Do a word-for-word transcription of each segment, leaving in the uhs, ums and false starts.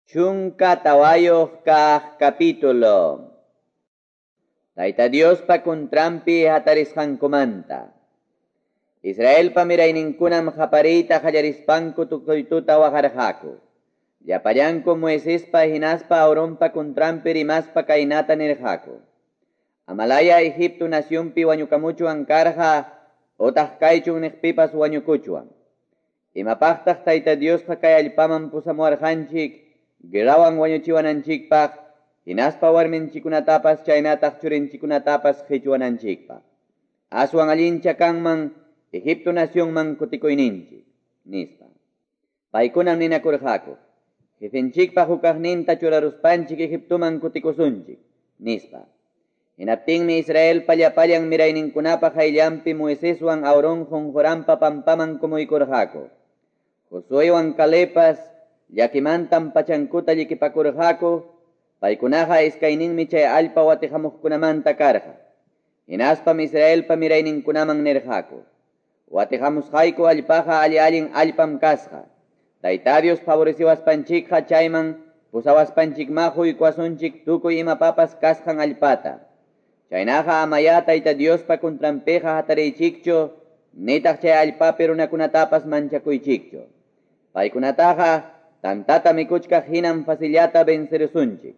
Chunka tawayuq kaq capítulo. Tayta Diospa kuntranpi hatarisqankumanta. Israelpa mirayninkunam qapariyta qallarispanku tukuy tuta waqarqaku. Llapallanku Moisespa hinaspa Aaronpa kuntranpi rimaspa kaynata nirqaku. Amalaya Egipto nacionpi wañukamuchuwan karqa otaq kaychun niqpipas wañukuchuwan. Imapaqtaq Tayta Diosqa kay allpaman pusamuwarqanchik guerrawan wañuchiwananchikpaq, hinaspa warminchikunatapas chaynataq churinchikunatapas qichwananchikpaq. Aswan allincha kanman Egipto nacionman kutikuyninchik, nispa. Paykunam ninakurqaku, jefenchikpaq hukaqninta churaruspanchik Egiptoman kutikusunchik, nispa. Hinaptinmi Israelpa llapallan mirayninkunapa qayllanpi Moiseswan Aarón qunquranpa pampaman kumuykurqaku. Josuewan Calebpas llakimantam pachankuta llikipakurqaku, paykunaqa iskayninmi chay allpa watiqamuqkunamanta karqa. Hinaspam Israelpa mirayninkunaman nirqaku, watiqamusqayku allpaqa alli-allin allpam kasqa. Tayta Dios favoreciwaspanchikqa chayman pusawaspanchikma huykuwasunchik tukuy imapapas kasqan allpata. Chaynaqa amaya Tayta Diospa kuntranpiqa hatariychikchu, nitaq chay allpapi runakunatapas manchakuychikchu. Paykunataqa tantata mikuchkaq hinam facillata vencerusunchik.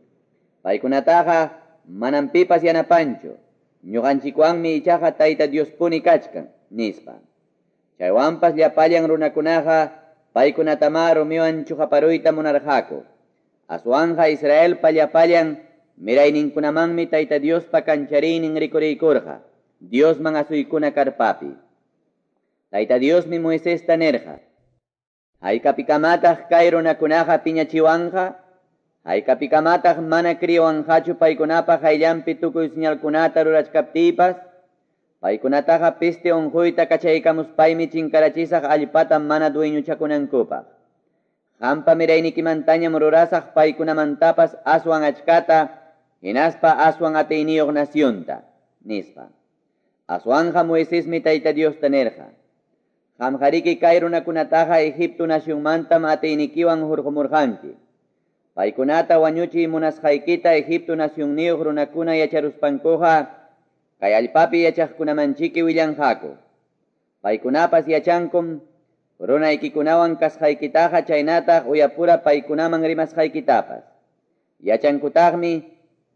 Paykunataqa manam pipas yanapanchu. Ñuqanchikwanmi ichaqa Tayta Diospuni kachkan, nispa. Chaywanpas llapallan runakunaqa paykunatama rumiwan chuqaparuyta munarqaku. Aswanqa Israelpa llapallan mirayninkunamanmi Tayta Diospa kanchariynin rikuriykurqa, Diosman asuykuna karpapi. Tayta Diosmi Moisesta nirqa, haykapikamataq kay runakunaqa piñachiwanqa, haykapikamataq mana kriwanqachu paykunapa qayllanpi tukuy señalkunata rurachkaptiypas, paykunataqa peste unquyta kachaykamuspaymi chinkarachisaq allpata mana dueñochakunankupaq. Qampa miraynikimantañam rurasaq paykunamantapas aswan achkata, hinaspa aswan atiyniyuq nacionta, nispa. Aswanja Moisesmi Tayta Diosta nirqa, qamqariki kay runakunataqa Egipto nacionmantam atiynikiwan hurqumurqanki. Paykunata wañuchiy munasqaykita Egipto nacionniyuq runakuna yacharuspankuqa kay allpapi yachaqkunamanchiki willanqaku. Paykunapas yachankum runaykikunawan kasqaykitaqa chaynataq uyapura paykunaman rimasqaykitapas. Yachankutaqmi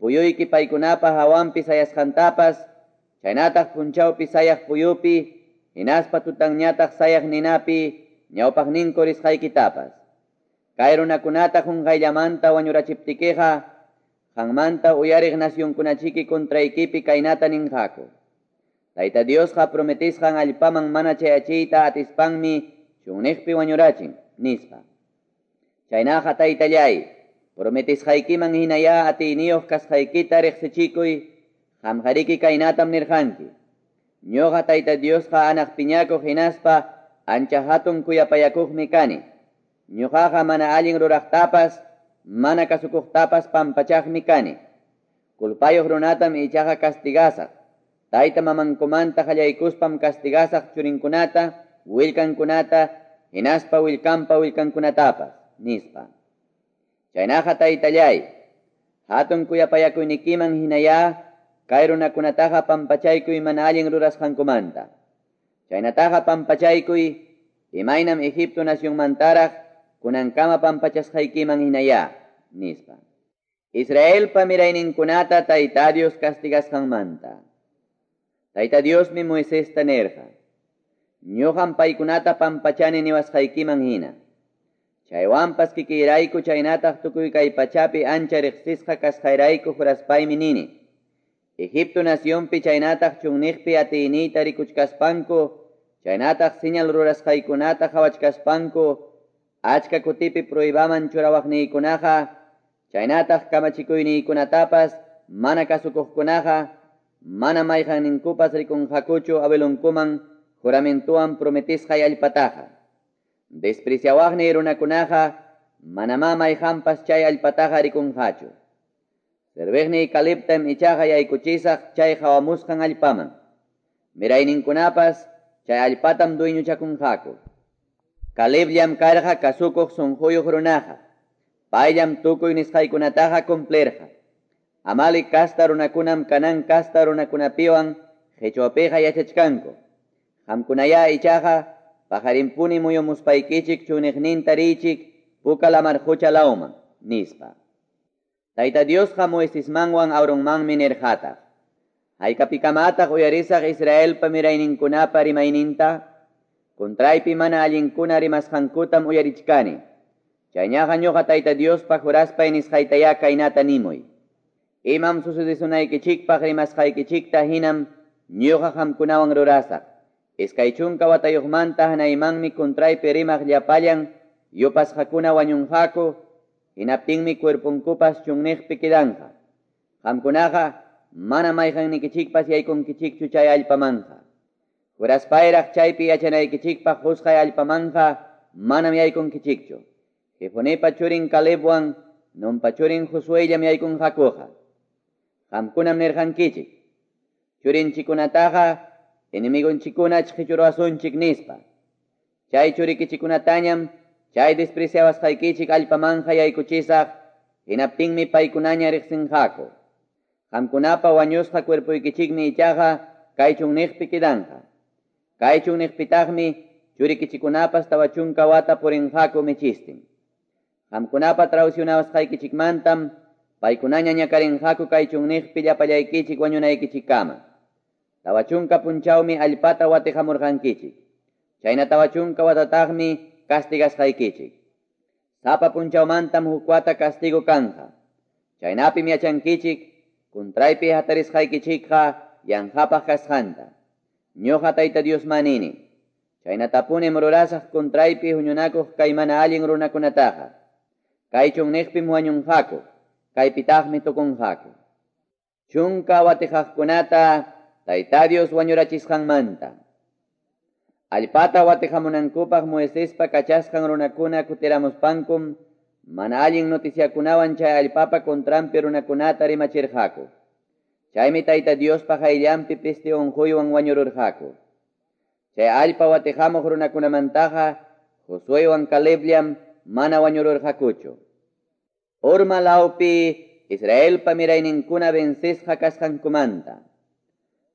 puyuyki paykunapa hawanpi sayasqantapas, chaynataq punchawpi sayaq puyupi, hinaspa tutanñataq sayaq ninapi ñawpaqninku risqaykitapas. Kay runakunata qunqayllamanta wañurachiptikiqa, qanmanta uyariq nacionkunachiki contraykipi kaynata ninqaku. Tayta Diosqa prometisqan allpaman mana chayachiyta atispanmi chunniqpi wañurachin, nispa. Chaynaqa Taytallay, prometisqaykiman hinaya atiyniyuq kasqaykita riqsichikuy, qamqariki kaynatam nirqanki. Ñuqa Tayta Diosqa anaq piñakuq hinaspa ancha hatun kuyapayakuqmi kani. Ñuqaqa mana allin ruraqtapas, mana kasukuqtapas pampachaqmi kani. Culpayuq runatam ichaqa castigasaq. Tayta mamankumanta qallaykuspam castigasaq churinkunata, willkankunata, hinaspa willkanpa willkankunatapas, nispa. Chaynaqa Taytallay, hatun kuyapayakuynikiman hinaya kay runakunataqa pampachaykuy mana allin rurasqankumanta. Chaynataqa pampachaykuy imaynam Egipto nacionmantaraq kunankama pampachasqaykiman hinaya, nispa. Israelpa mirayninkunata Tayta Dios castigasqanmanta. Tayta Diosmi Moisesta nirqa, ñuqam paykunata pampachani niwasqaykiman hina. Chaywanpas kikiyrayku chaynataq tukuy kay pachapi ancha riqsisqa kasqayrayku juraspaymi nini. Egipto nacionpi chaynataq chunniqpi atiyniyta rikuchkaspanku, chaynataq señal rurasqaykunata qhawachkaspanku, achka kutipi pruebaman churawaqniykunaqa, chaynataq kamachikuyniykunatapas mana kasukuqkunaqa, mana mayqanninkupas rikunqakuchu abuelonkuman juramentuwan prometisqay allpataqa. Despreciawaqniy runakunaqa manamá mayqanpas chay allpataqa rikunqachu. Serviqniy Calebtam ichaqa yaykuchisaq chay qawamusqan allpaman. Mirayninkunapas chay allpatam dueñochakunqaku. Calebllam karqa kasukuq sunquyuq runaqa. Payllam tukuy nisqaykunataqa cumplirqa. Amalec kasta runakunam Canaán kasta runakunapiwan qichwapiqa yachachkanku. Qamkunaya ichaqa paqarinpuni muyumuspaykichik chunniqninta riychik Puka lamar qucha lawman, nispa. Tayta Diosqa Moisesmanwan Aaronmanmi nirqataq. Haykapikamataq uyarisaq Israelpa mirayninkunapa rimayninta? Contraypi mana allinkuna rimasqankutam uyarichkani. Chayñaqa ñuqa Tayta Diospa juraspay nisqaytayá kaynata nimuy. Imam sucedesunaykichikpaq rimasqaykichikta hinam ñuqa qamkunawan rurasaq. Iskay chunka watayuqmanta hanaymanmi contraypi rimaq llapallan yupasqakuna wañunqaku, hinaptinmi cuerponkupas chunniqpi quedanqa. Qamkunaqa mana mayqannikichikpas yaykunkichikchu chay allpamanqa. Juraspayraq chaypi yachanaykichikpaq qusqay allpamanqa manam yaykunkichikchu. Jefonepa churin Calebwan Nunpa churin Josuellam yaykunqakuqa. Qamkunam nirqankichik. Churinchikunataqa enemigonchikuna chqichuruwasunchik nispa. Chay churikichikunatañam chay despreciawasqaykichik allpamanqa yaykuchisaq, hinaptinmi paykunaña riqsinqaku. Qamkunapa wañusqa cuerpoykichikmi ichaqa kay chunniqpi quedanqa. Kay chunniqpitaqmi churikichikunapas tawa chunka wata purinqaku michistin. Qamkunapa traicionawasqaykichikmantam paykunaña ñakarinqaku kay chunniqpi llapallaykichik wañunaykichikkama. Tawa chunka punchawmi allpata watiqamurqankichik. Chayna tawa chunka watataqmi castigasqaykichik. Sapa punchawmantam huk wata castigo kanqa. Chaynapim yachankichik contraypi hatarisqaykichikqa yanqapaq kasqanta. Ñuqa Tayta Diosman nini. Chaynatapunim rurasaq contraypi huñunakuq kay mana allin runakunataqa. Kay chunniqpim wañunqaku, kaypitaqmi tukunqaku. Chunka watiqaqkunata Tayta Dios wañurachisqanmanta. Allpata watiqamunankupaq Moisespa kachasqan runakuna kutiramuspankum mana allin noticiakunawan chay allpapa contranpi runakunata rimachirqaku. Chaymi Tayta Diospa qayllanpi peste unquywan wañururqaku. Chay allpa watiqamuq runakunamantaqa Josuewan Calebllam mana wañururqakuchu. Horma lawpi Israelpa mirayninkuna vencesqa kasqankumanta.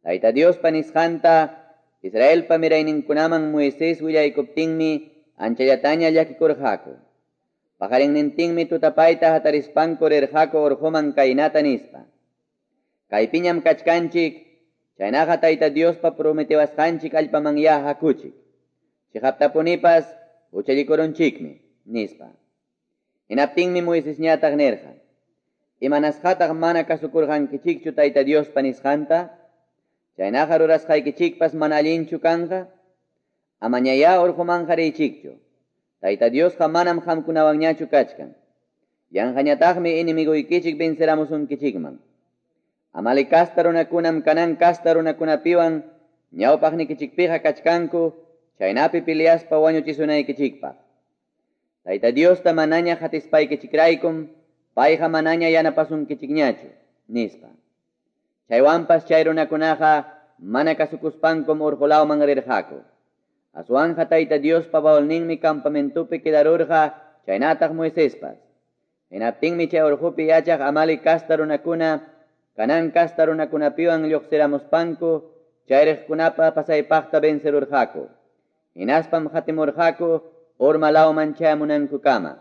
Tayta Diospa nisqanta Israelpa mirayninkunaman Moisés willaykuptinmi anchallataña llakikurqaku. Paqarinnintinmi tutapayta hatarispanku rirqaku urquman kaynata nispa. Kaypiñam kachkanchik, chaynaqa Tayta Diospa prometewasqanchik allpamanyá hakuchik. Chiqaptapunipas huchallikurunchikmi, nispa. Hinaptinmi Moisesñataq nirqa. Imanasqataq mana kasukurqankichikchu Tayta Diospa nisqanta? Chaynaqa rurasqaykichikpas mana allinchu kanqa? Amañayá urqumanqa riychikchu. Tayta Diosqa manam qamkunawanñachu kachkan. Yanqañataqmi enemiguykichik venceramusunkichikman. Amalec kasta runakunam Canaán kasta runakunapiwan ñawpaqnikichikpiqa kachkanku, chaynapi peleaspa wañuchisunaykichikpaq. Tayta Diosta manaña hatispaykichikraykum, payqa manaña yanapasunkichikñachu, nispa. Chaywanpas chay runakunaqa mana kasukuspankum urqulawman rirqaku. Aswanja Tayta Diospa baulninmi campamentopi quedarurqa chaynataq Moisespas. Hinaptinmi chay urqupi yachaq Amalec kasta runakuna Canaán kasta runakunapiwan lluqsiramuspanku chayriqkunapa pasaypaqta vencerurqaku. Hinaspam hatimurqaku Horma lawman chayamunankukama.